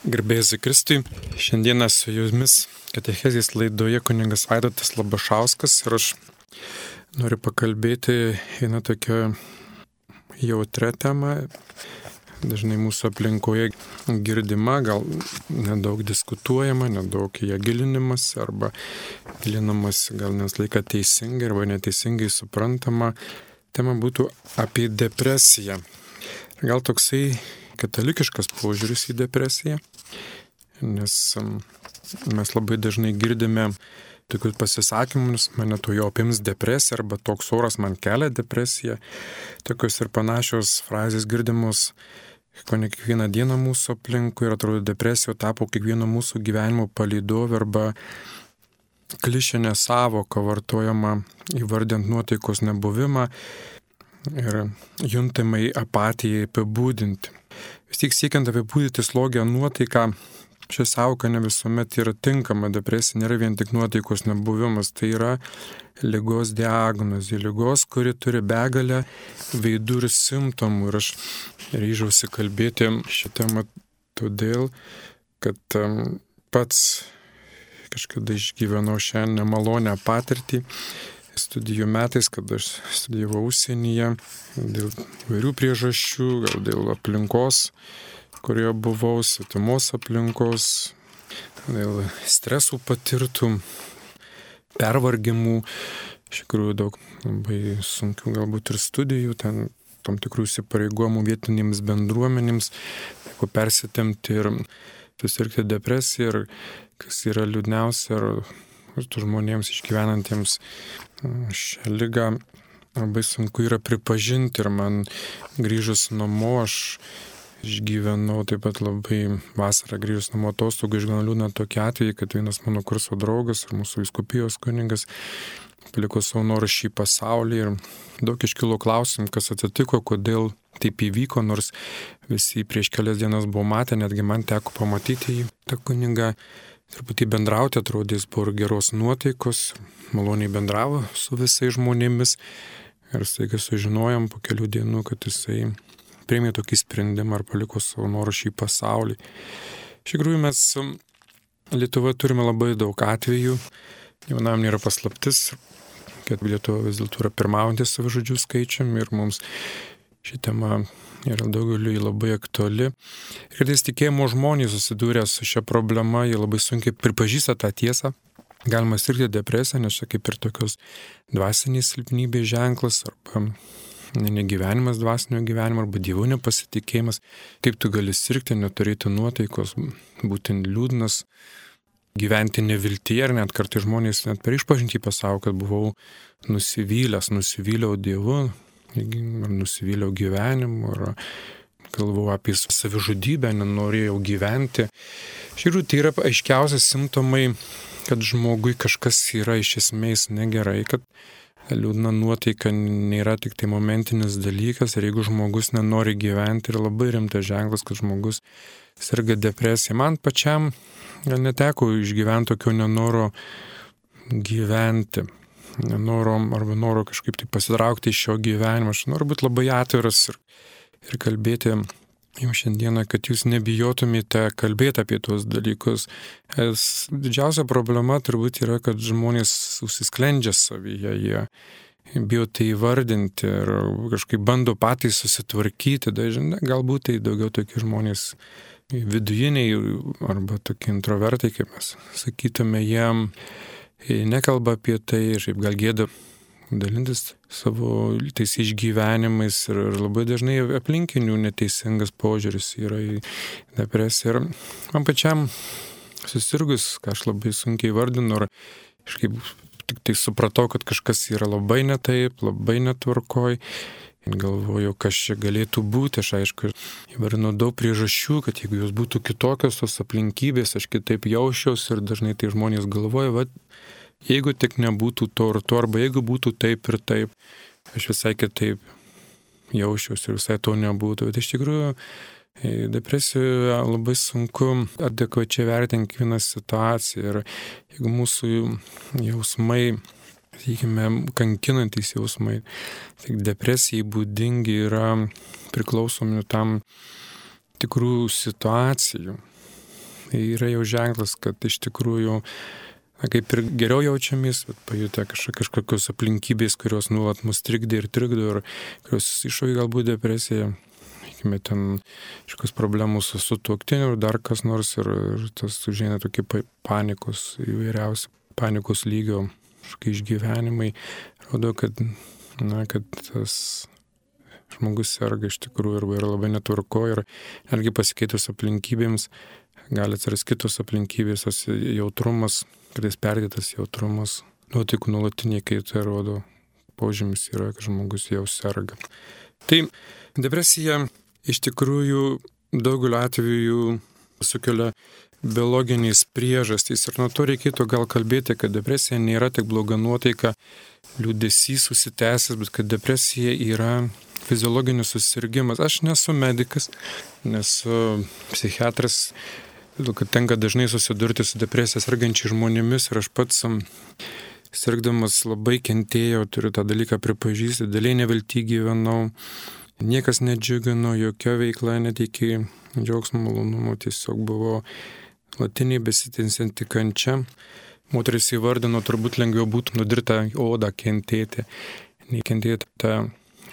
Garbėsiu Kristui. Šiandieną su jumis katechezės laidoje kunigas Vaidotas Labašauskas ir aš noriu pakalbėti vieną tokią jautrią temą, dažnai mūsų aplinkoje girdima, gal nedaug diskutuojama, nedaug ją gilinimas arba gilinamas gal nes laiką teisingai arba neteisingai suprantama. Tema būtų apie depresiją. Gal toksai katalikiškas požiūris į depresiją, nes mes labai dažnai girdime tokius pasisakymus, mane to jau apims depresija arba toks oras man kelia depresiją. Tokios ir panašios frazės girdimos kone kiekvieną dieną mūsų aplinkui ir atrodo depresija tapo kiekvieno mūsų gyvenimo palydovė arba klišinė sąvoka vartojama įvardint nuotaikos nebuvimą ir juntamai apatijai apibūdinti. Vis tik siekiant apibūdinti slogią nuotaiką, ši sąvoka ne visuomet yra tinkama. Depresija nėra vien tik nuotaikos nebuvimas, tai yra ligos diagnozė, ligos, kuri turi begalę veidų ir simptomų. Ir aš ryžausi kalbėti šią temą todėl, kad pats kažkada išgyvenau šią nemalonę patirtį studijų metais, kad aš studijavau užsienyje dėl vairių priežasčių, gal dėl aplinkos, kurioje buvau, svetimos aplinkos, dėl stresų patirtų, pervargimų, iš tikrųjų daug labai sunkių galbūt ir studijų, ten tam tikrų įsipareigojimų vietinėms bendruomenėms, teko persitempti ir susirgti depresiją ir kas yra liūdniausia, ir tų žmonėms išgyvenantiems šią ligą labai sunku yra pripažinti ir man grįžus namo aš išgyvenau taip pat labai vasarą grįžus namo atostogų išgyvenau liūdną tokį atvejį, kad vienas mano kurso draugas ir mūsų vyskupijos kunigas paliko savo norą šį pasaulį ir daug iškilo klausimų, kas atsitiko, kodėl taip įvyko, nors visi prieš kelias dienas buvo matę, netgi man teko pamatyti jį, tą kunigą. Truputį bendrauti, atrodė, jis buvo geros nuotaikos, maloniai bendravo su visais žmonėmis ir staiga sužinojom po kelių dienų, kad jisai priėmė tokį sprendimą ar paliko savo norą šį pasaulį. Iš tikrųjų mes Lietuvoje turime labai daug atvejų, jaunam nėra paslaptis, kad Lietuva vis dėlto yra pirmaujantis savižudžių skaičiumi ir mums ši tema yra daugeliui labai aktuali. Ir kartais tikėjimo žmonės susidūrę su šia problema, jie labai sunkiai pripažįsta tą tiesą. Galima sirgti depresiją, nes čia kaip ir tokios dvasinės silpnybės ženklas, arba negyvenimas dvasinio gyvenimo, arba Dievo nepasitikėjimas. Kaip tu gali sirgti, neturėti nuotaikos, būti liūdnas, gyventi neviltyje, ir net kartais žmonės net per išpažintį pasako, kad buvau nusivyliau Dievu, ar nusivyliau gyvenimu, ar galvojau apie savižudybę, nenorėjau gyventi. Iš tikrųjų, tai yra aiškiausias simptomai, kad žmogui kažkas yra iš esmės negerai, kad liūdna nuotaika nėra tik tai momentinis dalykas, ir jeigu žmogus nenori gyventi, yra labai rimtas ženklas, kad žmogus serga depresija. Man pačiam gal neteko išgyventi tokio nenoro gyventi. Noro kažkaip tai pasitraukti iš šio gyvenimo. Aš noriu būti labai atviras ir kalbėti jums šiandieną, kad jūs nebijotumėte kalbėti apie tuos dalykus. Didžiausia problema turbūt yra, kad žmonės užsisklendžia savyje, jie bijo tai įvardinti ir kažkaip bando patys susitvarkyti. Dažnai galbūt tai daugiau tokie žmonės vidujiniai arba tokie introvertai, kaip mes sakytume, jiem nekalba apie tai ir šiaip gal gėda dalintis savo tais išgyvenimais ir labai dažnai aplinkinių neteisingas požiūris yra į depresiją. Ir man pačiam susirgus, ką aš labai sunkiai vardinu, ir kažkaip tik tai supratau, kad kažkas yra labai netaip, labai netvarkoj. Galvoju, kas čia galėtų būti. Aš aišku įvardinu daug priežasčių, kad jeigu jos būtų kitokios tos aplinkybės, aš kitaip jausčiausi, ir dažnai tai žmonės galvoja, va, jeigu tik nebūtų to ir to, arba jeigu būtų taip ir taip, aš visai kitaip jausčiausi ir visai to nebūtų. Bet iš tikrųjų depresijoje labai sunku adekvačiai vertinti kiekvieną situaciją, ir jeigu mūsų jausmai, sakykime, kankinantys jausmai, tik depresijai būdingi yra priklausomi tam tikrų situacijų. yra jau ženklas, kad iš tikrųjų kaip ir geriau jaučiamės, bet pajutę kažkokios aplinkybės, kurios nuolat mus trikdė ir trikdo, ir kurios iššaukia galbūt depresiją, sakykime, ten kažkokios problemos su sutuoktiniu ir dar kas nors, ir tas užeina tokie panikos įvairiausi, panikos lygio kažkokie išgyvenimai, rodo, kad tas žmogus serga iš tikrųjų arba yra labai netvarko ir netgi pasikeitus aplinkybėms gali atsirasti kitos aplinkybės, tas jautrumas, kartais perdėtas jautrumas, nuotaikų nuolatiniai kaita rodo, požymis yra, kad žmogus jau serga. Tai depresija iš tikrųjų daugeliu atveju sukelia biologiniais priežastys ir nuo to reikėtų gal kalbėti, kad depresija nėra tik bloga nuotaika, liūdesys susitęsęs, bet kad depresija yra fiziologinis susirgimas. Aš nesu medikas, nesu psichiatras, kad tenka dažnai susidurti su depresija sergančiai žmonėmis ir aš pats sirgdamas labai kentėjau, turiu tą dalyką pripažįsti, daliai nevilty gyvenau, niekas nedžiugino, jokia veikla neteikė džiaugsmo malonumo, tiesiog buvo latiniai besitęsianti kančia. Moteris įvardino, turbūt lengviau būtų nudirtą odą kentėti, nei kentėti tą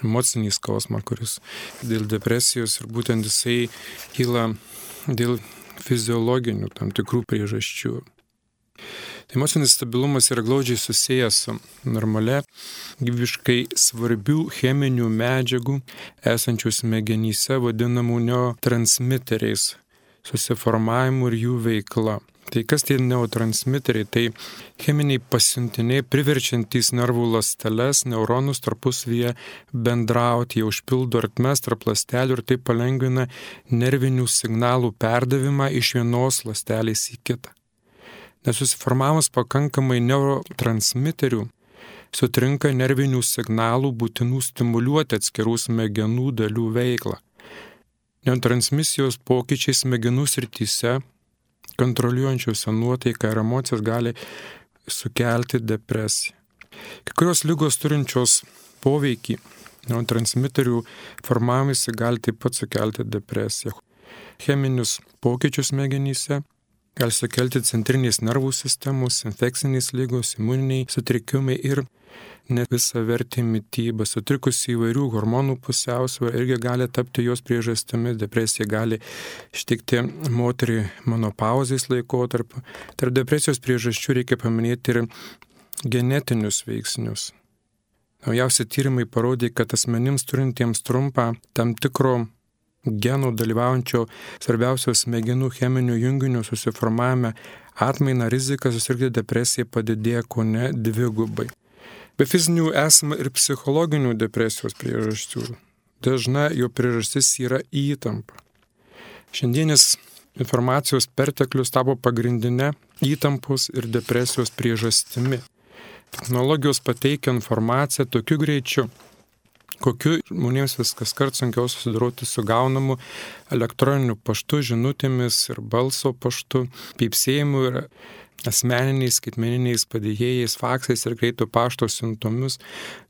emocinį skausmą, kuris dėl depresijos ir būtent jisai kyla dėl fiziologinių tam tikrų priežasčių. Tai emocinis stabilumas yra glaudžiai susijęs su normalia, gyvybiškai svarbių cheminių medžiagų esančių smegenyse vadinamų neurotransmiteriais susiformavimu ir jų veikla. Tai kas tie neurotransmiteriai? Tai cheminiai pasiuntiniai priverčiantys nervų ląsteles, neuronus tarpusavyje bendrauti, jie užpildo ertmes tarp ląstelių ir tai palengvina nervinių signalų perdavimą iš vienos ląstelės į kitą. Nesusiformavus pakankamai neurotransmiterių, sutrinka nervinių signalų būtinų stimuliuoti atskirų smegenų dalių veiklą. Neurotransmisijos pokyčiai smegenų srityse kontroliuojančiuose nuotaiką ir emocijas gali sukelti depresiją. Kai kurios ligos turinčios poveikį neurotransmiterių formavimąsi gali taip pat sukelti depresiją. Cheminius pokyčius smegenyse gali sukelti centrinės nervų sistemos, infekcinės ligos, imuniniai sutrikimai ir nevisavertė mityba, sutrikusi įvairių hormonų pusiausvyrą irgi gali tapti jos priežastimi. Depresija gali ištikti moterį menopauzės laikotarpiu. Tarp depresijos priežasčių reikia paminėti ir genetinius veiksnius. Naujausi tyrimai parodė, kad asmenims turintiems trumpą tam tikro genų dalyvaujančio svarbiausios smegenų cheminių junginių susiformavime atmaina rizika susirgti depresiją padidėja kone dvigubai. Be fizinių esama ir psichologinių depresijos priežasčių. Dažna jo priežastis yra įtampa. Šiandienis informacijos perteklius tapo pagrindinė įtampos ir depresijos priežastimi. Technologijos pateikia informaciją tokiu greičiu, kokiu žmonėms viskas kart sunkiau susidoroti su gaunamu elektroniniu paštu, žinutėmis ir balso paštu, pypsėjimu ir asmeniniais, skaitmeniniais padėjėjais, faksais ir greito pašto siuntomis,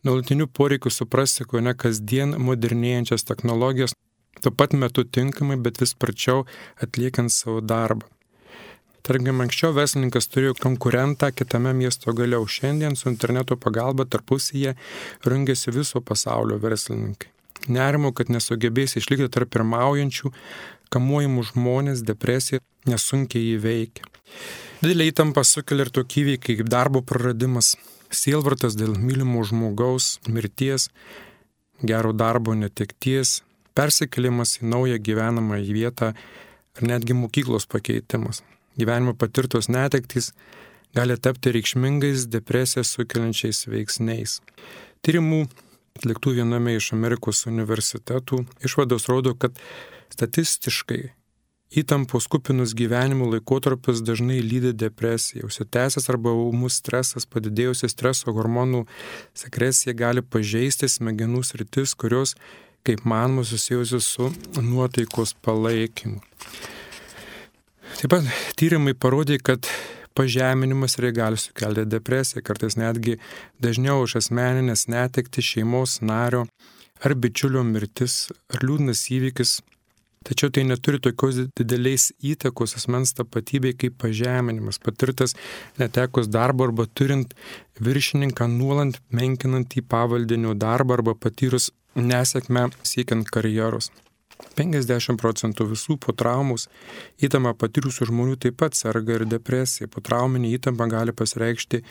nuolatiniu poreikiu suprasti, ko ne kasdien modernėjančias technologijas, tuo pat metu tinkamai, bet vis sparčiau atliekant savo darbą. Tarkim, anksčiau verslininkas turėjo konkurentą kitame miesto gale, o šiandien su interneto pagalba tarpusyje rungiasi viso pasaulio verslininkai. Nerimo, kad nesugebės išlikti tarp pirmaujančių, kamuojamų žmonės, depresija nesunkiai įveikia. Didelė įtampa sukelia ir tokie įvykiai kaip darbo praradimas, sielvartas dėl mylimo žmogaus, mirties, gero darbo netekties, persikėlimas į naują gyvenamą vietą ar netgi mokyklos pakeitimas. Gyvenimo patirtos netektys gali tapti reikšmingais depresiją sukeliančiais veiksniais. Tyrimų atliktų viename iš Amerikos universitetų išvados rodo, kad statistiškai įtampos kupinus gyvenimo laikotarpius dažnai lydi depresija. Užsitęsęs arba ūmus stresas, padidėjusi streso hormonų sekresija gali pažeisti smegenų sritis, kurios, kaip manoma, susijusios su nuotaikos palaikymu. Taip pat tyrimai parodė, kad pažeminimas gali sukelti depresiją, kartais netgi dažniau už asmeninės netekti šeimos nario ar bičiulio mirtis ar liūdnas įvykis Tačiau tai neturi tokios didelės įtakos asmens tapatybei kaip pažeminimas, patirtas netekus darbo arba turint viršininką nuolant menkinantį pavaldinio darbą arba patyrus nesėkmę siekiant karjeros. 50% visų po traumos įtampą patyrusių žmonių taip pat serga ir depresija. Potrauminė įtampa gali pasireikšti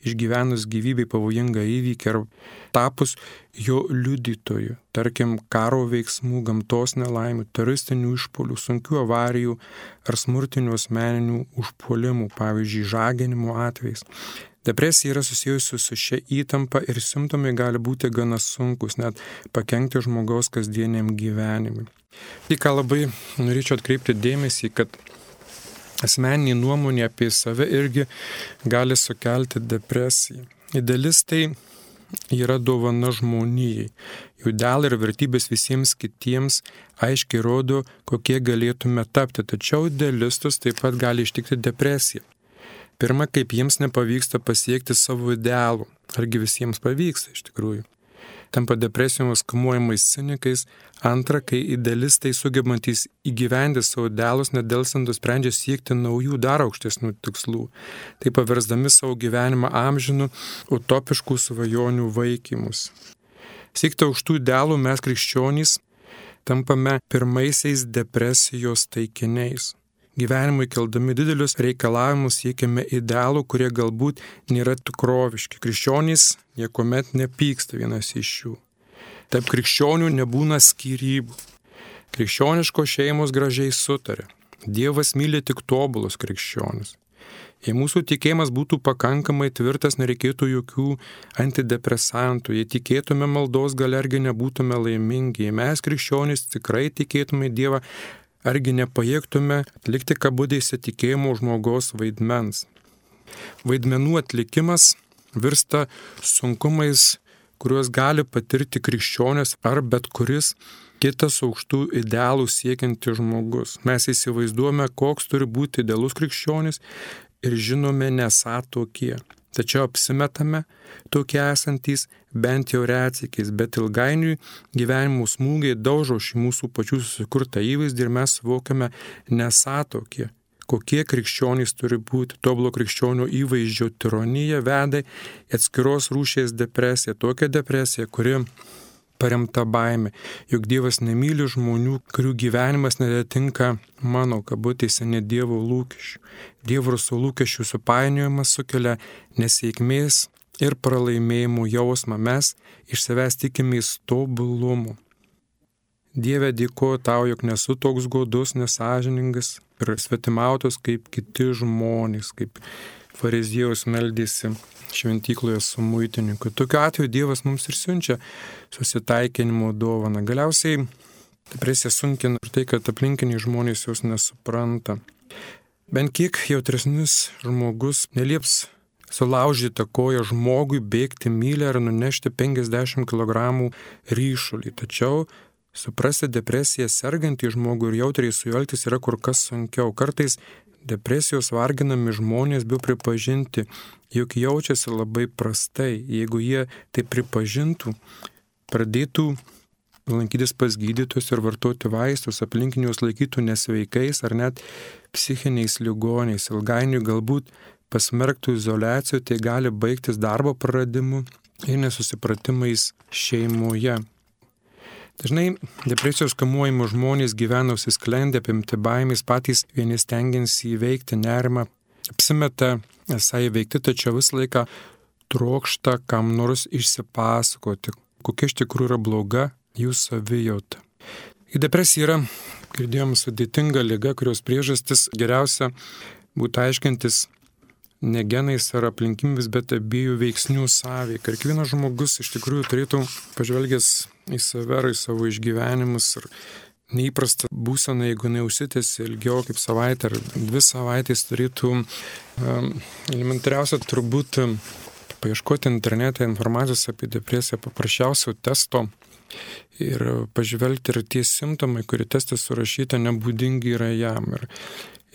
išgyvenus gyvybei pavojingą įvykį ar tapus jo liudytoju, tarkim karo veiksmų, gamtos nelaimių, teroristinių išpuolių, sunkių avarijų ar smurtinių asmeninių užpuolimų, pavyzdžiui, žaginimo atvejais. Depresija yra susijusi su šia įtampa ir simptomai gali būti gana sunkus, net pakenkti žmogaus kasdieniam gyvenimui. Tai ką labai norėčiau atkreipti dėmesį, kad asmeninė nuomonė apie save irgi gali sukelti depresiją. Idealistai yra dovana žmonijai. Jų idealai ir vertybės visiems kitiems aiškiai rodo, kokie galėtume tapti, tačiau idealistus taip pat gali ištikti depresija. Pirma, kaip jiems nepavyksta pasiekti savo idealų. Argi visiems pavyksta iš tikrųjų. Tampa depresijomis kamuojamais cinikais. Antra, kai idealistai sugebantys įgyvendinti savo idealus nedelsant sprendžia siekti naujų dar aukštesnių tikslų. Tai paversdami savo gyvenimą amžinų utopiškų svajonių vaikymus. Siekti aukštų idealų mes krikščionys tampame pirmaisiais depresijos taikiniais. Gyvenimui keldami didelius reikalavimus siekiame idealų, kurie galbūt nėra tikroviški. Krikščionys niekuomet nepyksta vienas iš jų. Taip krikščionių nebūna skyrybų. Krikščioniškos šeimos gražiai sutarė. Dievas myli tik tobulus krikščionis. Jei mūsų tikėjimas būtų pakankamai tvirtas, nereikėtų jokių antidepresantų. Jei tikėtume maldos galia, argi nebūtume laimingi. Jei mes krikščionys tikrai tikėtume į Dievą, argi nepajėgtume atlikti kabutėse tikėjimo žmogaus vaidmens. Vaidmenų atlikimas virsta sunkumais, kuriuos gali patirti krikščionis ar bet kuris kitas aukštų idealų siekiantis žmogus. Mes įsivaizduojame, koks turi būti idealus krikščionis ir žinome nesą tokie. Tačiau apsimetame tokie esantys bent jau retsykiais, bet ilgainiui gyvenimo smūgiai daužo šį mūsų pačių susikurtą įvaizdį ir mes suvokiame nesą tokie, kokie krikščionys turi būti. Tobulo krikščionio įvaizdžio tironija veda į atskiros rūšies depresiją, tokią depresiją, kuri paremta baimė, jog Dievas nemyli žmonių, kurių gyvenimas neatitinka mano kabutėse ne Dievo lūkesčių. Dievo ir savo lūkesčių supainiojimas sukelia nesėkmės ir pralaimėjimų jausmą. Mes iš savęs tikimės tobulumo. Dieve, dėkoju tau, jog nesu toks godus, nesąžiningas ir svetimautas kaip kiti žmonės, kaip fariziejaus meldėsi šventykloje su muitininku. Tokiu atveju Dievas mums ir siunčia susitaikinimo dovaną. Galiausiai depresija sunkina ir tai, kad aplinkiniai žmonės jos nesupranta. Bent kiek jautresnis žmogus nelieps sulaužyti koją žmogui bėgti mylę ar nunešti 50 kg ryšulį. Tačiau suprasti depresiją sergantį žmogų ir jautriai su juo elgtis yra kur kas sunkiau. Kartais depresijos varginami žmonės bijo pripažinti, jog jaučiasi labai prastai. Jeigu jie tai pripažintų, pradėtų lankytis pas gydytojus ir vartoti vaistus, aplinkinius laikytų nesveikais ar net psichiniais ligoniais. Ilgainiui galbūt pasmerktų izoliacijų, tai gali baigtis darbo praradimu ir nesusipratimais šeimoje. Dažnai depresijos kamuojami žmonės gyvena užsisklendę, apimti baimės, patys vieni stengiasi įveikti nerimą, apsimeta esą įveikti, tačiau visą laiką trokšta kam nors išsipasakoti, kokia iš tikrųjų yra bloga jų savijauta. Depresija yra, girdėjom, sudėtinga liga, kurios priežastis geriausia būtų aiškintis ne genais ar aplinkybėmis, bet abiejų veiksnių sąveika. Ir kiekvienas žmogus iš tikrųjų turėtų pažvelgęs į save ir į savo išgyvenimus ir neįprastą būseną, jeigu neužsitęsi ilgiau kaip savaitę ar 2 savaitės, turėtų elementariausia turbūt paieškoti internete informacijos apie depresiją, paprasčiausio testo ir pažvelgti, ir tie simptomai, kurie teste surašyta, nebūdingi yra jam.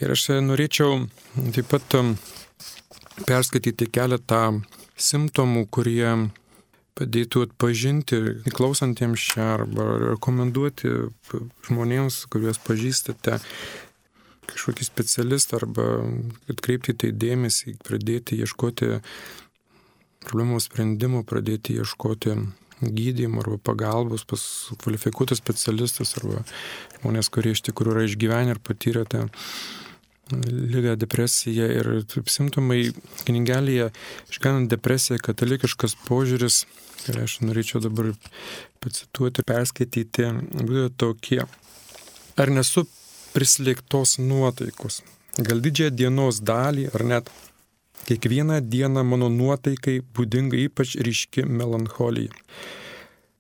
Ir aš norėčiau taip pat perskaityti keletą simptomų, kurie padėtų atpažinti klausantiems čia arba rekomenduoti žmonėms, kuriuos pažįstate, kažkokį specialistą arba atkreipti tai dėmesį, pradėti ieškoti problemų sprendimų, pradėti ieškoti gydymo arba pagalbos pas kvalifikuotus specialistus arba žmonės, kurie iš tikrųjų yra išgyvenę ir patyrę tą ligą, depresiją. Ir simptomai knygelėje išgyvenant depresiją, katalikiškas požiūris, ir aš norėčiau dabar pacituoti, perskaityti, būtų tokie. Ar nesu prislėgtos nuotaikos? Gal didžiąją dienos dalį, ar net kiekvieną dieną mano nuotaikai būdinga ypač ryški melancholija?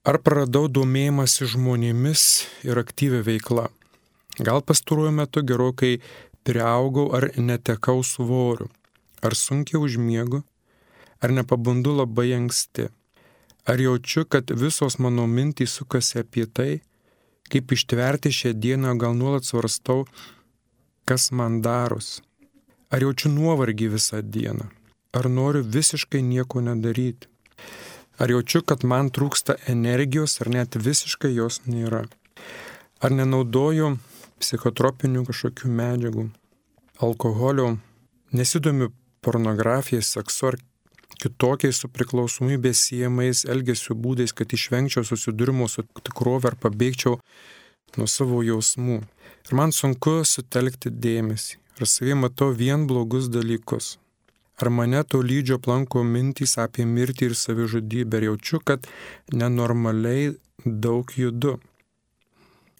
Ar praradau domėjimąsi žmonėmis ir aktyvę veiklą? Gal pastaruoju metu gerokai priaugau ar netekau svorių? Ar sunkiai užmiegu? Ar nepabundu labai anksti? Ar jaučiu, kad visos mano mintys sukasi apie tai, kaip ištverti šią dieną, gal nuolat svarstau, kas man darosi? Ar jaučiu nuovargį visą dieną? Ar noriu visiškai nieko nedaryti? Ar jaučiu, kad man trūksta energijos, ar net visiškai jos nėra? Ar nenaudoju psichotropinių kažkokių medžiagų, alkoholio, nesidomiu pornografija, seksu ar kitokiais su priklausomybės siejamais elgesio būdais, kad išvengčiau susidūrimo su tikrove ar pabėgčiau nuo savo jausmų. Ir man sunku sutelkti dėmesį. Ar savie matau vien blogus dalykus? Ar mane to lydžio aplanko mintys apie mirtį ir savižudybę? Ir jaučiu, kad nenormaliai daug judu?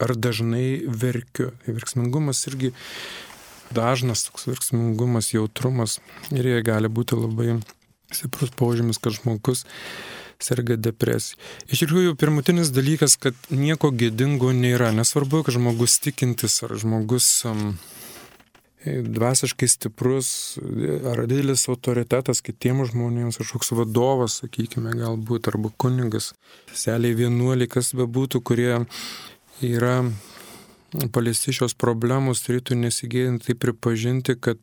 Ar dažnai verkiu? Verksmingumas irgi dažnas toks verksmingumas, jautrumas. Ir jie gali būti labai stiprus požymis, kad žmogus serga depresija. Iš tikrųjų, pirmutinis dalykas, kad nieko gėdingo nėra. Nesvarbu, kad žmogus tikintis ar žmogus dvasiškai stiprus ar didelis autoritetas kitiems žmonėms, kažkoks vadovas, sakykime, galbūt, arba kunigas, seliai vienuoliai, kas bebūtų, kurie yra paliesti šios problemos, turėtų nesigėdinti tai pripažinti, kad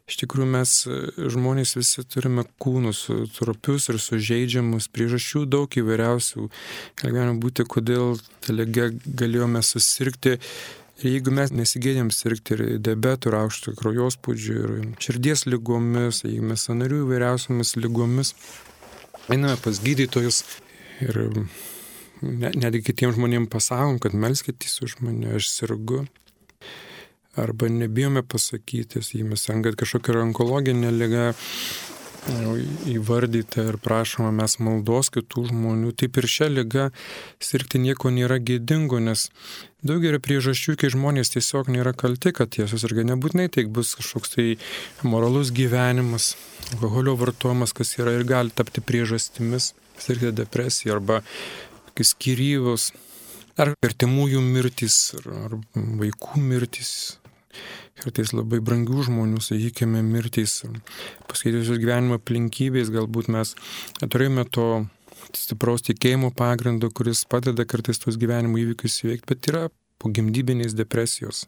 iš tikrųjų mes žmonės visi turime kūnus trapius ir sužeidžiamus, priežasčių daug įvairiausių. Galime būti, kodėl ta liga galėjome susirgti. Ir jeigu mes nesigėdėm sirgti ir diabetų, ir aukšto kraujospūdžių, ir širdies lygomis, jeigu mes sąnarių įvairiausiamis lygomis, einame pas gydytojus ir netgi kitiems žmonėms pasakom, kad melskitės už mane, aš sirgu. Arba nebijome pasakyti, jei mes kad kažkokia onkologinė liga įvardyta ir prašoma mes maldos kitų žmonių. Taip ir šią ligą sirgti nieko nėra gėdingo, nes daug yra priežasčių, kai žmonės tiesiog nėra kalti, kad jie susirga. Nebūtinai tai bus kažkoks tai moralus gyvenimas, alkoholio vartojimas, kas yra ir gali tapti priežastimis sirgti depresiją arba skyrybos, ar artimųjų mirtys, ar vaikų mirtys, kartais labai brangių žmonių, sakykime, mirtys, pasikeitusios gyvenimo aplinkybės, galbūt mes turėjome to stipraus tikėjimo pagrindo, kuris padeda kartais tos gyvenimo įvykius įveikti, bet yra pogimdybinės depresijos,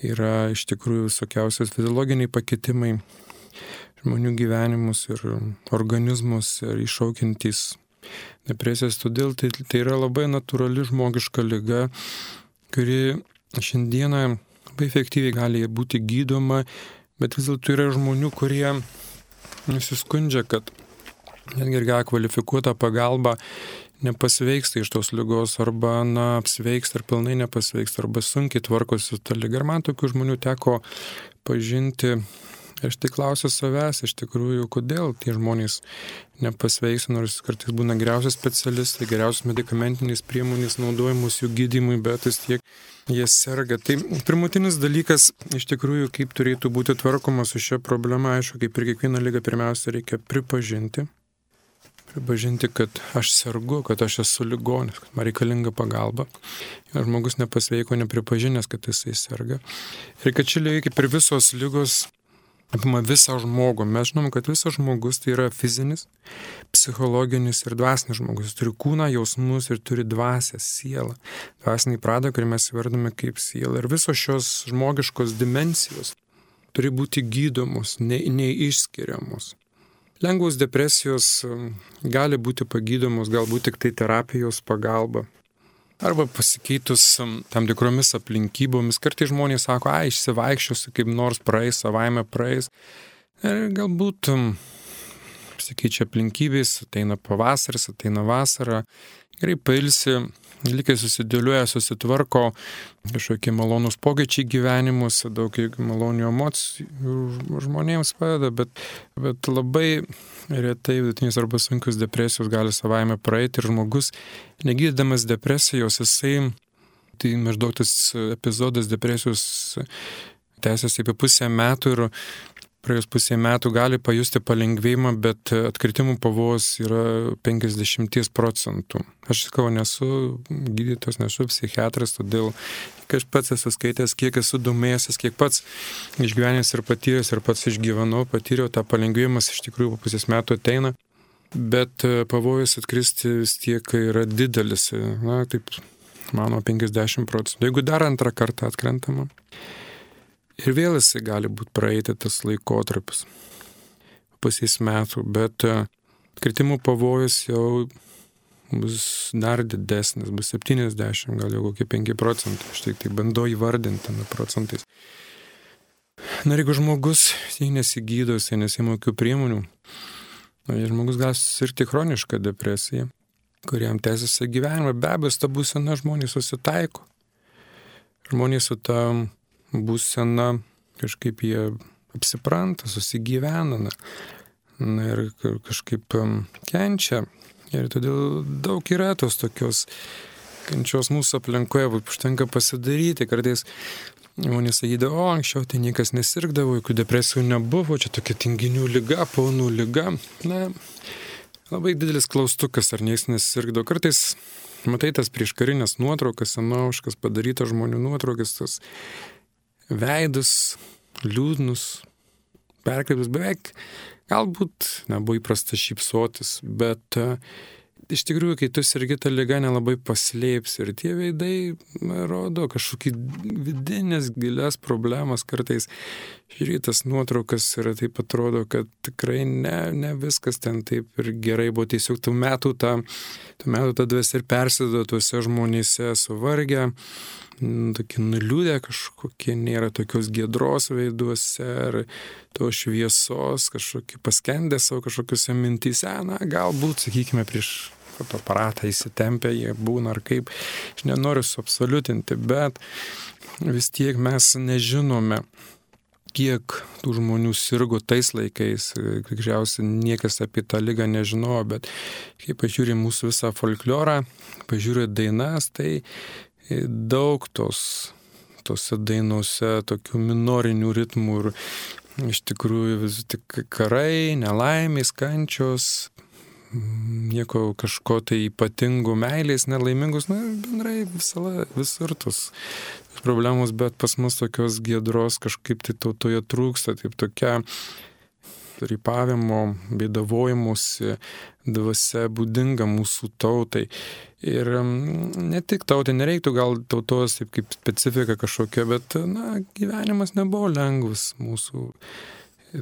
yra iš tikrųjų visokiausios fiziologiniai pakitimai žmonių gyvenimus ir organizmus ir iššaukiantys depresijas, todėl tai yra labai natūrali žmogiška liga, kuri šiandieną labai efektyviai gali būti gydoma, bet vis dėlto yra žmonių, kurie nusiskundžia, kad netgi ir gavę kvalifikuotą pagalbą nepasveiksta iš tos ligos, arba apsveiksta ar pilnai nepasveiksta, arba sunkiai tvarkosi su ta liga. Ir man tokių žmonių teko pažinti. Aš tai klausiu savęs, iš tikrųjų, kodėl tie žmonės nepasveiksta, nors kartais būna geriausias specialistai, geriausios medikamentinės priemonės naudojamos jų gydymui, bet vis tiek jie serga. Tai pirmutinis dalykas, iš tikrųjų, kaip turėtų būti tvarkoma su šia problema, aišku, kaip ir kiekvieną ligą, pirmiausia, reikia pripažinti, kad aš sergu, kad aš esu ligonis, kad man reikalinga pagalba. Ir žmogus nepasveiko, nepripažinęs, kad jisai serga. Ir kad ši liga, kaip ir visos ligos, apima visą žmogų. Mes žinom, kad visas žmogus tai yra fizinis, psichologinis ir dvasinis žmogus. Jis turi kūną, jausmus ir turi dvasią, sielą. Dvasinį pradą, kurį mes įvardome kaip sielą. Ir visos šios žmogiškos dimensijos turi būti gydomos, neišskiriamos. Lengvos depresijos gali būti pagydomos galbūt tik tai terapijos pagalba. Arba pasikeitus tam tikromis aplinkybomis. Kartais žmonės sako, išsivaikščiosiu, kaip nors praeis, savaime praeis. Ir galbūt pasikeičia aplinkybės, ateina pavasaris, ateina vasara, gerai pailsi, likai susidėliuoja, susitvarko, kažkokie malonūs pokyčiai gyvenimuose, daug malonių emocijų žmonėms padeda, bet labai retai vidutinės arba sunkios depresijos gali savaime praeiti ir žmogus, negydydamas depresijos, tai maždaug tas epizodas depresijos tęsiasi apie pusę metų ir praėjus pusę metų gali pajusti palengvėjimą, bet atkritimų pavojus yra 50%. Aš sakau, nesu gydytojas, nesu psichiatras, todėl kai aš pats esu skaitęs, kiek esu domėjęsis, kiek pats išgyvenęs ir patyręs ir pats išgyvenau, patyriau tą palengvėjimas iš tikrųjų po pusės metų ateina, bet pavojus atkristi vis tiek yra didelis, taip mano 50%. Jeigu dar antrą kartą atkrentama, ir vėl jisai gali būti praeiti tas laikotarpis pusės metų, bet kritimų pavojus jau bus dar didesnis, bus 70, gal jau kokie 5%. Aš tai bandau įvardinti tame procentais. Na ir jeigu žmogus nesigydo, nesima jokių priemonių, žmogus gali susirgti chronišką depresiją, kuriam tęsiasi gyvenimą. Be abejo, ta būsena žmonės susitaiko. Žmonės su ta būsena kažkaip jie apsipranta, susigyvena ir kažkaip kenčia. Ir todėl daug yra tos tokios kančios mūsų aplinkoje, užtenka pasidaryti. Kartais žmonės sakydavo, anksčiau tai niekas nesirgdavo, jokių depresijų nebuvo, čia tokia tinginių liga, paunų liga. Labai didelis klaustukas, ar niekas nesirgdavo. Kartais matai tas prieškarinės nuotraukas, senoviškas padarytas žmonių nuotraukas, tas veidus, liūdnus, perkreiptus, beveik galbūt nebuvo įprasta šypsotis, bet iš tikrųjų, kai tu sergi tą ligą, nelabai paslėpsi ir tie veidai rodo kažkokį vidinės gilias problemas kartais. Žiūrėtas nuotraukas ir taip atrodo, kad tikrai ne viskas ten taip ir gerai buvo, tiesiog tų metų ta dvasia ir persido tuose žmonėse suvargę, tokie nuliūdę kažkokie, nėra tokios giedros veiduose ar to šviesos, kažkokie paskendę savo kažkokiuose mintyse, galbūt, sakykime, prieš fotoaparatą įsitempę jie būna ar kaip, aš nenoriu suabsoliutinti, bet vis tiek mes nežinome, kiek tų žmonių sirgo tais laikais, tikriausiai niekas apie tą ligą nežinojo, bet kai pažiūrė mūsų visą folklorą, pažiūrė dainas, tai daug tose dainose tokių minorinių ritmų ir iš tikrųjų vis tik karai, nelaimės, kančios, nieko kažko tai ypatingų, meilės, nelaimingus, bendrai visur tos problemos, bet pas mus tokios giedros kažkaip tai tautoje trūksta, taip tokia rypavimo, bėdavojimusi dvasia būdinga mūsų tautai. Ir ne tik tautai, nereiktų gal tautos taip kaip specifika kažkokia, bet gyvenimas nebuvo lengvas mūsų.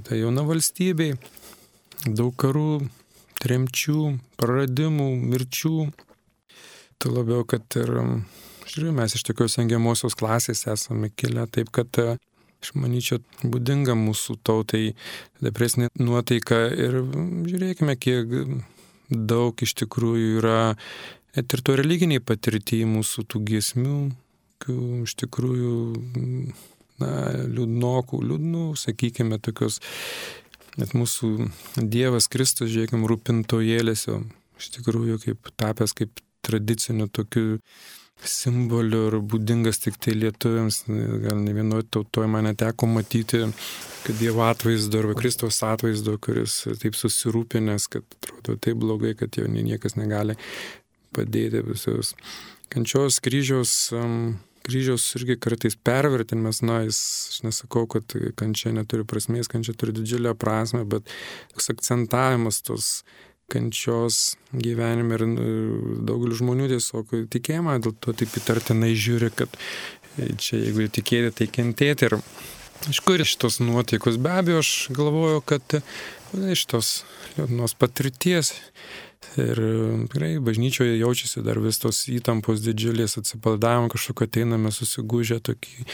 Tai jauna valstybei, daug karų, tremčių, praradimų, mirčių. Tai labiau, kad ir, žiūrėjau, mes iš tokios engiamosios klasės esame kilę, taip kad aš manyčiau, būdinga mūsų tautai depresinė nuotaika ir žiūrėkime, kiek daug iš tikrųjų yra net ir to religiniai patirtijai mūsų tų giesmių, iš tikrųjų, liūdnų, sakykime, tokios, net mūsų Dievas Kristus, žiūrėkime, rūpintojėlis, iš tikrųjų, kaip tapęs kaip tradiciniu tokiu simboliu ir būdingas tik tai lietuviams, gal ne vienoje tautoje man neteko matyti, kad Dievo atvaizdo arba Kristaus atvaizdo, kuris taip susirūpinęs, kad atrodo taip blogai, kad jau niekas negali padėti visos kančios, kryžiaus irgi kartais pervertinimas, aš nesakau, kad kančia neturi prasmės, kančia turi didžiulę prasmę, bet toks akcentavimas tos kančios gyvenime ir daugelis žmonių tiesiog tikėjimą, dėl to taip įtartinai žiūri, kad čia jeigu tikėti, tai kentėti. Ir iš kur šitos nuotaikos? Be abejo, aš galvoju, kad iš tos liūdnos patirties. Ir tikrai bažnyčioje jaučiasi dar vis tos įtampos didžiulės, atsipaldavom kažkokio ateiname susigūžę tokį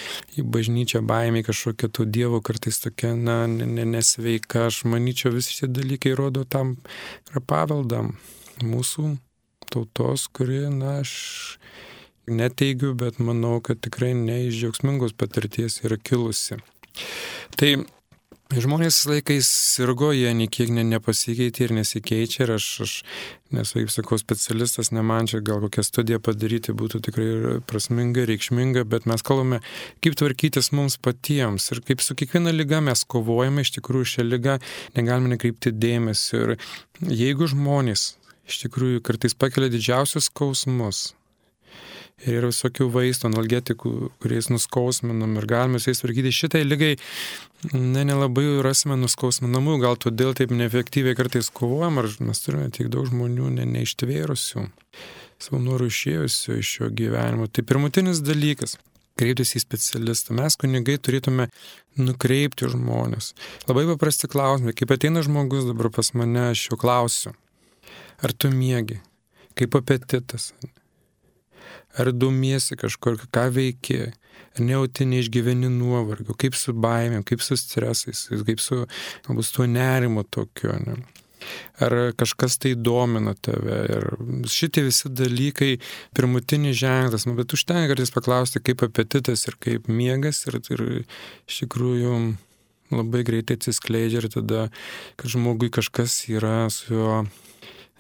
į bažnyčią baimį, kažkokia tų dievų kartais tokia, nesveika. Aš manyčiau, visi šie dalykai rodo tam paveldam mūsų tautos, kuri, aš neteigiu, bet manau, kad tikrai ne iš džiaugsmingos patirties yra kilusi. Tai žmonės laikais sirgo, jie niekiek nepasikeitė ir nesikeičia ir aš nesu, kaip sakau, specialistas, ne man čia gal kokią studiją padaryti būtų tikrai prasminga, reikšminga, bet mes kalbame, kaip tvarkytis mums patiems ir kaip su kiekviena liga mes kovojame, iš tikrųjų šią ligą negalime nekreipti dėmesio ir jeigu žmonės iš tikrųjų kartais pakelia didžiausius skausmus, ir yra visokių vaistų, analgetikų, kuriais nuskausminam ir galime su jais tvarkyti. Šitai lygai nelabai rasime nuskausminamų, gal todėl taip neefektyviai kartais kovojam, ar mes turime tiek daug žmonių neištvėrusių, savo norų išėjusių iš šio gyvenimo. Tai pirmutinis dalykas - kreiptis į specialistą. Mes kunigai turėtume nukreipti žmonės. Labai paprasti klausimai. Kaip ateina žmogus dabar pas mane, aš jo klausiu. Ar tu miegi? Kaip apetitas? Ar domiesi kažkur, ką veiki, ar nejauti neišgyveni nuovargio, kaip su baimėm, kaip su stresais, kaip su galbūt su tuo nerimo tokiu, ne? Ar kažkas tai domina tave. Ir šitie visi dalykai pirmutinis ženklas, bet užtenka kartais paklausti, kaip apetitas ir kaip miegas ir iš tikrųjų labai greitai atsiskleidžia ir tada, kad žmogui kažkas yra su juo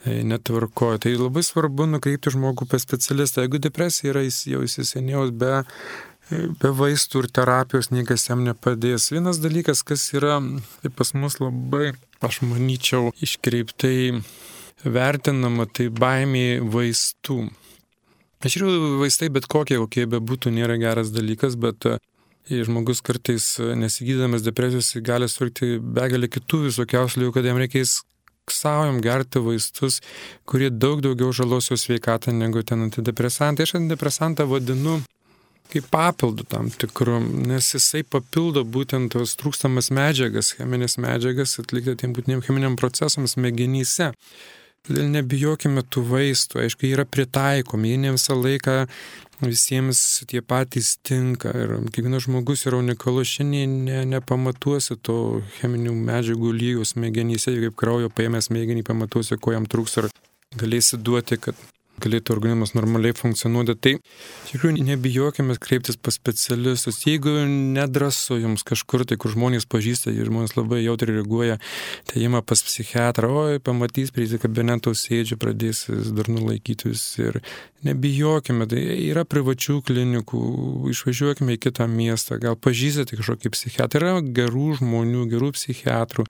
netvarkoja. Tai labai svarbu nukreipti žmogų pas specialistą. Jeigu depresija yra jau įsisenėjus, be vaistų ir terapijos niekas jam nepadės. Vienas dalykas, kas yra tai pas mus labai, aš manyčiau, iškreiptai vertinama, tai baimė vaistų. Iš tikrųjų, vaistai bet kokie bebūtų, nėra geras dalykas, bet žmogus kartais nesigydamas depresijos gali suirkti begalę kitų visokiausių ligų, kad jam reikės saujam gerti vaistus, kurie daug daugiau žalos jo sveikatą negu ten antidepresantai. Aš antidepresantą vadinu kaip papildu tam tikru, nes jisai papildo būtent tos trūkstamas medžiagas, cheminės medžiagas atlikti tiem būtiniem cheminiam procesams smegenyse. Todėl nebijokime tų vaistų, aišku, jie yra pritaikomi, jie ne visą laiką visiems tie patys tinka ir kiekvienas žmogus yra unikalus, šiandien nepamatuosi to cheminių medžiagų lygio smegenyse, kaip kraujo paėmęs smegenį pamatuosi, ko jam trūks ir galėsi duoti, kad galėtų organizmas normaliai funkcionuoti. Tai iš tikrųjų nebijokime kreiptis pas specialistus. Jeigu nedrąsu jums kažkur, tai kur žmonės pažįsta ir žmonės labai jautriai reaguoja, tai ima pas psichiatrą, pamatys prie kabineto sėdžiu, pradės dar nulaikytis ir nebijokime. Tai yra privačių klinikų, išvažiuokime į kitą miestą, gal pažįstate kažkokį psichiatrą, yra gerų žmonių, gerų psichiatrų,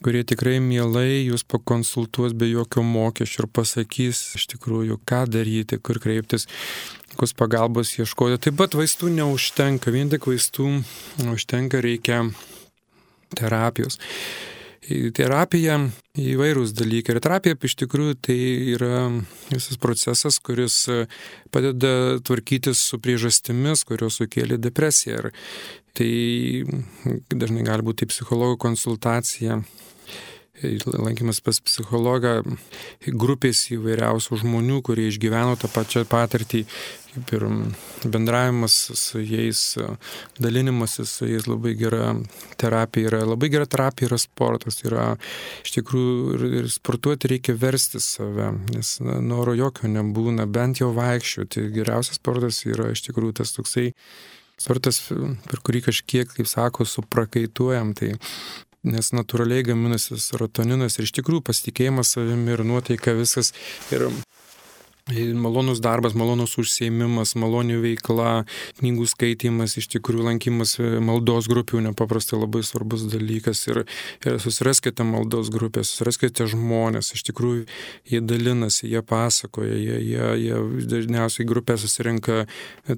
kurie tikrai mielai jūs pakonsultuos be jokio mokesčio ir pasakys iš tikrųjų, ką daryti, kur kreiptis, kokios pagalbos ieškoti. Taip pat vaistų neužtenka, vien tik vaistų neužtenka, reikia terapijos. Terapija įvairūs dalykai. Ir terapija iš tikrųjų tai yra visas procesas, kuris padeda tvarkytis su priežastimis, kurios sukėlė depresiją. Ir tai dažnai gali būti psichologo konsultacija, lankymas pas psichologą, grupės įvairiausių žmonių, kurie išgyveno tą pačią patirtį, kaip ir bendravimas su jais, dalinimasis su jais, labai gera terapija yra. Labai gera terapija yra sportas. Yra, iš tikrųjų, ir sportuoti reikia versti save, nes noro jokio nebūna, bent jau vaikščioti. Geriausias sportas yra iš tikrųjų tas toksai sportas, per kurį kažkiek, kaip sako, suprakaituojam. Tai nes natūraliai gaminasi serotoninas ir iš tikrųjų pasitikėjimas savimi ir nuotaika visas ir malonus darbas, malonus užsiėmimas, maloni veikla, knygų skaitymas, iš tikrųjų lankymas maldos grupių nepaprastai labai svarbus dalykas ir susiraskite maldos grupės, susiraskite žmonės, iš tikrųjų jie dalinasi, jie pasakoja, jie dažniausiai grupė susirenka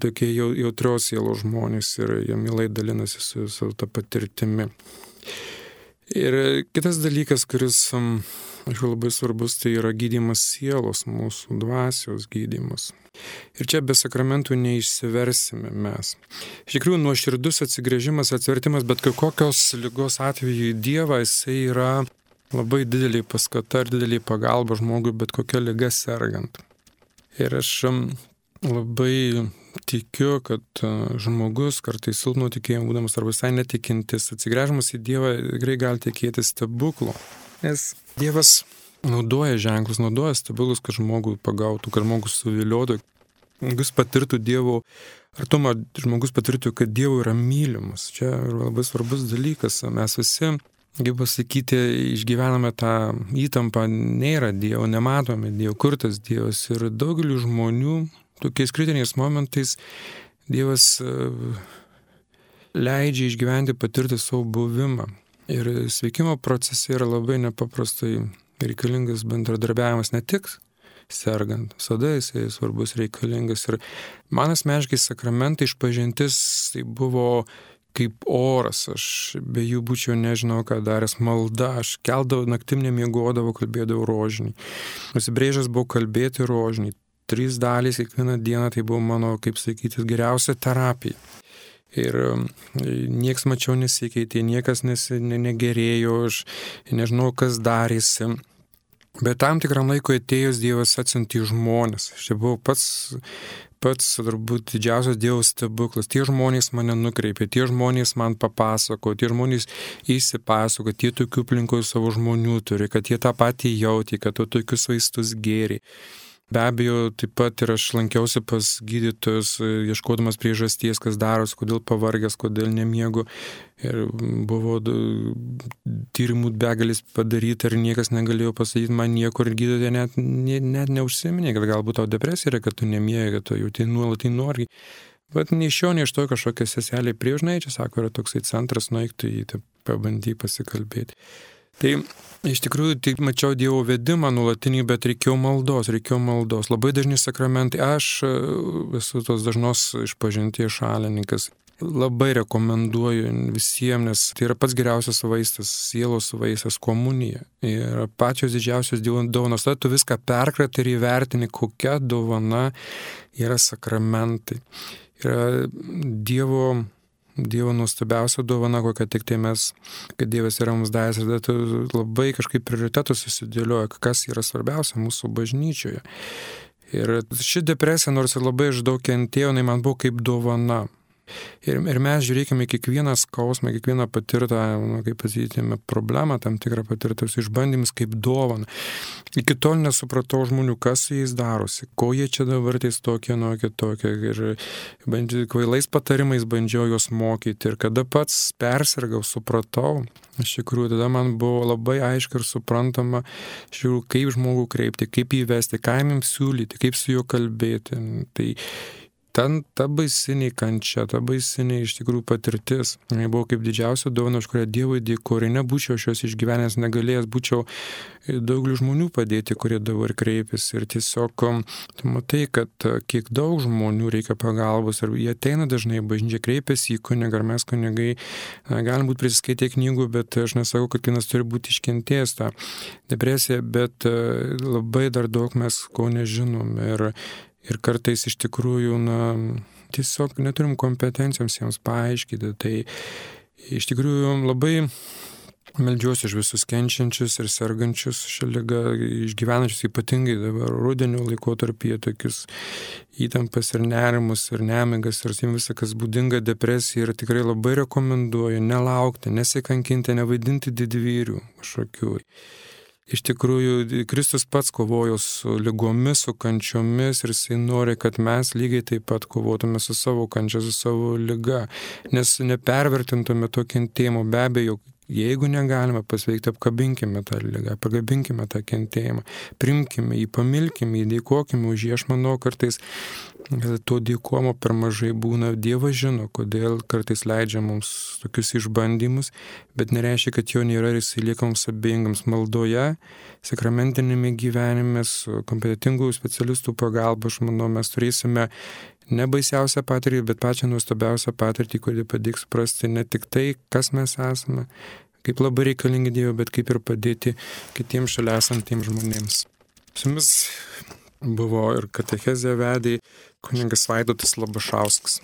tokie jautrios sielos žmonės ir jie mielai dalinasi su ta patirtimi. Ir kitas dalykas, kuris, aišku, labai svarbus, tai yra gydymas sielos, mūsų dvasios gydymas. Ir čia be sakramentų neišsiversime mes. Iš tikrųjų, nuoširdus atsigręžimas, atsivertimas, bet kokios ligos atveju į Dievą, jisai yra labai didelį paskata ir didelį pagalbą žmogui bet kokia liga sergant. Ir aš labai tikiu, kad žmogus kartais silpno tikėjimo būdamas arba visai netikintis, atsigręžimas į Dievą tikrai gali tikėtis stebuklų. Nes Dievas naudoja ženklus, naudoja stebuklus, kad žmogų pagautų, kad žmogus suviliotų, žmogus patirtų Dievo artumą, žmogus patirtų, kad Dievo yra mylimas. Čia yra labai svarbus dalykas. Mes visi, kaip pasakyti, išgyvename tą įtampą, nėra Dievo, nematome Dievo, kur tas Dievas. Ir daugeliu žmonių tokiais kritiniais momentais Dievas leidžia išgyventi, patirti savo buvimą. Ir sveikimo procese yra labai nepaprastai reikalingas bendradarbiavimas, ne tik sergant, visada jisai svarbus, reikalingas. Ir man asmeniškai sakramentai išpažintis tai buvo kaip oras, aš be jų būčiau nežinau ką daręs, malda, aš keldavau, naktim nemiegodavau, kalbėdavau rožinį. Nusibrėžęs buvau kalbėti rožinį. 3 dalys kiekvieną dieną, tai buvo mano, kaip sakyti, geriausia terapija. Ir nieks mačiau nesikeitė, niekas negerėjo, aš nežinau, kas darėsi. Bet tam tikram laiko atėjus Dievas atsiuntė žmonės. Čia buvo pats turbūt didžiausias Dievo stebuklas. Tie žmonės mane nukreipė, tie žmonės man papasako, tie žmonės įsipasako, kad jie tokių aplinkoje savo žmonių turi, kad jie tą patį jautė, kad tokius vaistus gėrė. Be abejo, taip pat ir aš lankiausi pas gydytojus, ieškodamas priežasties, kas darosi, kodėl pavargęs, kodėl nemiegu. Ir buvo tyrimų begalis padaryti ir niekas negalėjo pasakyti man nieko ir gydytojai net neužsiminė, kad galbūt tau depresija yra, kad tu nemiegi, kad tu jauti nuolatai nuovargį. Bet nei iš šio, nei iš to kažkokia seselė priežnai, čia sako, yra toksai centras, nueik, tai pabandyk pasikalbėti. Tai iš tikrųjų tik mačiau Dievo vedimą nuolatinį, bet reikėjo maldos. Labai dažni sakramentai, aš esu tos dažnos išpažinties šalininkas. Labai rekomenduoju visiems, nes tai yra pats geriausias vaistas, sielos vaistas, komunija. Ir pačios didžiausios Dievo dovanos, tada tu viską perkratai ir įvertini, kokia dovana yra sakramentai. Yra Dievo nuostabiausia dovana, kokia tik tai mes, kad Dievas yra mums davęs, ir tada tu labai kažkaip prioritetus susidėlioja, kas yra svarbiausia mūsų bažnyčioje. Ir ši depresija, nors ir labai aš daug kentėjau, jinai man buvo kaip dovana. Ir mes žiūrėkime kiekvieną skausmą, kiekvieną patirtą, kaip pasakykime, problemą, tam tikrą patirtus išbandymus kaip dovaną. Iki tol nesupratau žmonių, kas su jais darosi, ko jie čia dabar tais tokie, kitokie. Ir kvailais patarimais bandžiau juos mokyti. Ir kada pats persirgau, supratau, iš tikrųjų, tada man buvo labai aiškiai ir suprantama, kaip žmogų kreipti, kaip jį vesti, ką jiems siūlyti, kaip su juo kalbėti. Tai ta baisinė kančia, ta baisinė iš tikrųjų patirtis. Tai buvo kaip didžiausia dovana, už kurią Dievui dėkoju. Nebūčiau šios išgyvenęs, negalėjęs, būčiau daugeliu žmonių padėti, kurie dabar kreipiasi. Ir tiesiog tu matai, kad kiek daug žmonių reikia pagalbos. Ir jie ateina dažnai į bažnyčią, kreipiasi į kunigą, ar mes kunigai galim būti prisiskaitę knygų, bet aš nesakau, kad kiekvienas turi būti iškentėjęs tą depresiją, bet labai dar daug mes ko nežinom. Ir kartais iš tikrųjų, tiesiog neturim kompetencijoms jiems paaiškinti. Tai iš tikrųjų labai meldžiuosi už visus kenčiančius ir sergančius šią ligą, išgyvenančius ypatingai dabar rudenio laikotarpyje tokius įtampas ir nerimus ir nemigas ir visą, kas būdinga depresija. Ir tikrai labai rekomenduoju nelaukti, nesikankinti, nevaidinti didvyrių kažkokių. Iš tikrųjų, Kristus pats kovojo su ligomis, su kančiomis ir jisai nori, kad mes lygiai taip pat kovotume su savo kančia, su savo liga, nes nepervertintume to kentėjimo. Be abejo, jeigu negalime pasveikti, apkabinkime tą ligą, pagabinkime tą kentėjimą, primkime jį, pamilkime jį, dėkokime už jį. Aš manau, kartais to dėkomo per mažai būna. Dievas žino, kodėl kartais leidžia mums tokius išbandymus, bet nereiškia, kad jo nėra ir jisai lieka mums abejingams. Maldoje, sakramentinėme gyvenime, su kompetentingų specialistų pagalba, aš manau, mes turėsime ne baisiausią patirtį, bet pačią nuostabiausią patirtį, kuri padėks suprasti ne tik tai, kas mes esame, kaip labai reikalingi Dievui, bet kaip ir padėti kitiems šalia esantiems žmonėms. Su jumis buvo ir katechezę vedė kunigas Vaidotas Labašauskas.